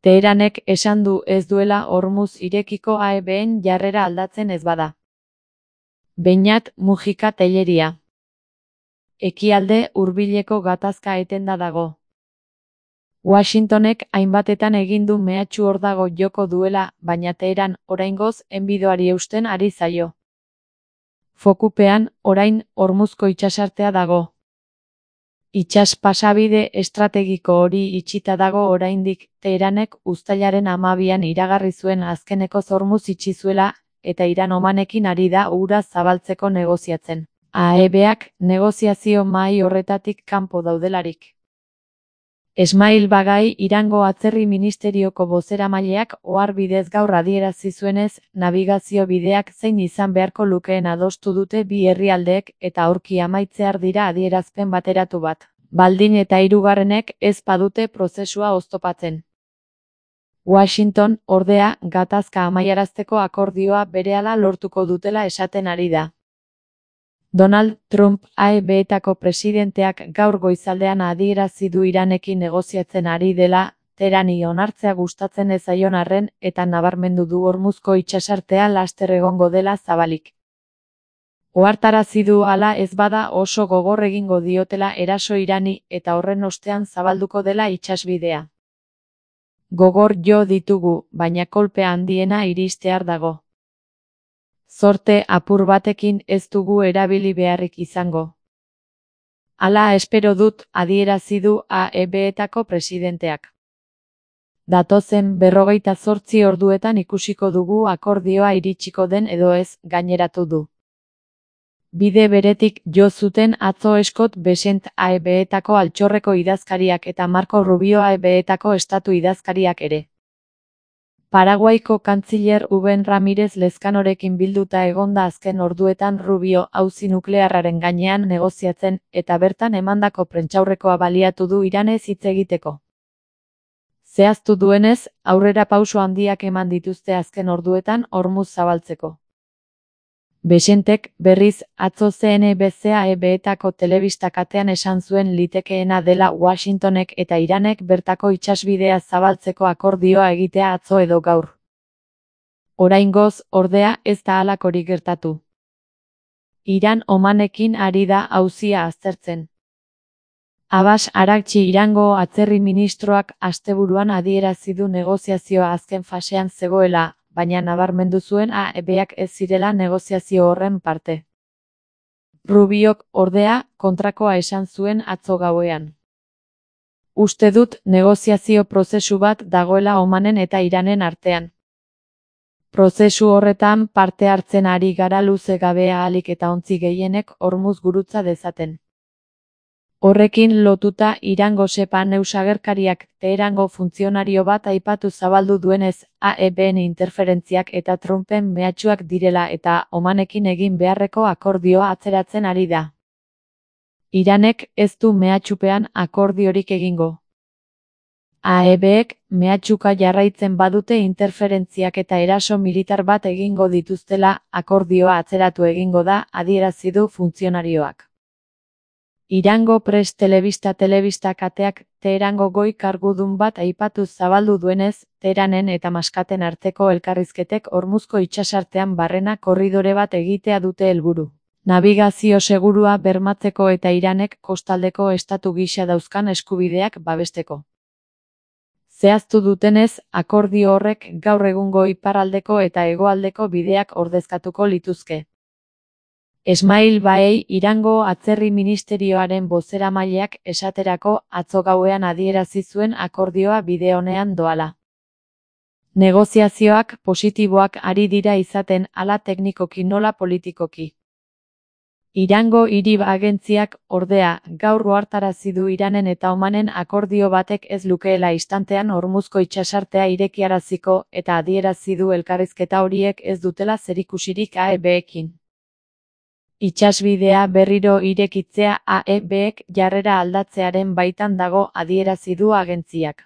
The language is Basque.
Teheranek esan du ez duela Hormuz irekiko AEBen jarrera aldatzen ez bada. Beñat Mujika Telleria. Ekialde hurbileko gatazka etenda dago. Washingtonek hainbatetan egin du mehatxu hor dago joko duela, baina Teheran oraingoz enbidoari eusten ari zaio. Fokupean, orain, Hormuzko itsasartea dago. Itsas pasabide estrategiko hori itxita dago oraindik, Teheranek uztailaren 12an iragarri zuen azkeneko Hormuz itxi zuela, eta Iran Omanekin ari da ura zabaltzeko negoziatzen. AEBak negoziazio mahai horretatik kanpo daudelarik. Esmail Bagai Irango Atzerri Ministerioko bozeramaileak ohar bidez gaur adierazi zuenez, nabigazio bideak zein izan beharko lukeen adostu dute bi herrialdeek eta aurki amaitzear dira adierazpen bateratu bat. Baldin eta hirugarrenek ez badute prozesua oztopatzen. Washington, ordea, gatazka amaiarazteko akordioa berehala lortuko dutela esaten ari da. Donald Trump AEBetako presidenteak gaur goizaldean adierazi du Iranekin negoziatzen ari dela, Teherani onartzea gustatzen ez zaion arren eta nabarmendu du Hormuzko itsasartea laster egongo dela zabalik. Ohartarazi du hala ez bada oso gogor egingo diotela eraso Irani eta horren ostean zabalduko dela itsasbidea. Gogor jo ditugu, baina kolpe handiena iristear dago. Zorte apur batekin ez dugu erabili beharrik izango. Hala espero dut, adierazi du AEBetako presidenteak. Datozen 48 orduetan ikusiko dugu akordioa iritsiko den edo ez, gaineratu du. Bide beretik jo zuten atzo Scott Bessent AEBetako altxorreko idazkariak eta Marco Rubio AEBetako estatu idazkariak ere. Paraguaiko kantziler Uben Ramirez Lezkanorekin bilduta egonda azken orduetan Rubio auzi nuklearraren gainean negoziatzen eta bertan emandako prentsaurrekoa baliatu du Iranez hitz egiteko. Zehaztu duenez, aurrera pauso handiak eman dituzte azken orduetan Hormuz zabaltzeko. Bessentek, berriz, atzo CNBC AEBetako telebista katean esan zuen litekeena dela Washingtonek eta Iranek bertako itsasbidea zabaltzeko akordioa egitea atzo edo gaur. Oraingoz, ordea, ez da halakorik gertatu. Iran Omanekin ari da auzia aztertzen. Abbas Araghchi Irango atzerri ministroak asteburuan adierazi du negoziazioa azken fasean zegoela, baina nabarmendu zuen AEBak ez zirela negoziazio horren parte. Rubiok, ordea, kontrakoa esan zuen atzo gauean. Uste dut negoziazio prozesu bat dagoela Omanen eta Iranen artean. Prozesu horretan parte hartzen ari gara luze gabe ahalik eta ontzi gehienek Hormuz gurutza dezaten. Horrekin lotuta Irango Sepa News agerkariak Teherango funtzionario bat aipatu zabaldu duenez, AEBen interferentziak eta Trumpen mehatxuak direla eta Omanekin egin beharreko akordioa atzeratzen ari da. Iranek ez du mehatxupean akordiorik egingo. AEBek mehatxuka jarraitzen badute interferentziak eta eraso militar bat egingo dituztela, akordioa atzeratu egingo da, adierazi du funtzionarioak. Irango Press telebista kateak Teherango goi kargudun bat aipatu zabaldu duenez, Teheranen eta Maskaten arteko elkarrizketek Hormuzko itsasartean barrena korridore bat egitea dute helburu. Nabigazio segurua bermatzeko eta Iranek kostaldeko estatu gisa dauzkan eskubideak babesteko. Zehaztu dutenez, akordio horrek gaur egungo iparraldeko eta hegoaldeko bideak ordezkatuko lituzke. Esmail Baei Irango Atzerri Ministerioaren bozeramaileak esaterako atzo gauean adierazi zuen akordioa bide onean doala. Negoziazioak positiboak ari dira izaten hala teknikoki nola politikoki. Irango hiri agentziak, ordea, gaur ohartarazi du Iranen eta Omanen akordio batek ez lukeela istantean Hormuzko itsasartea irekiaraziko eta adierazi du elkarrizketa horiek ez dutela zerikusirik AEBekin. Itsasbidea berriro irekitzea AEBek jarrera aldatzearen baitan dago adierazi du agentziak.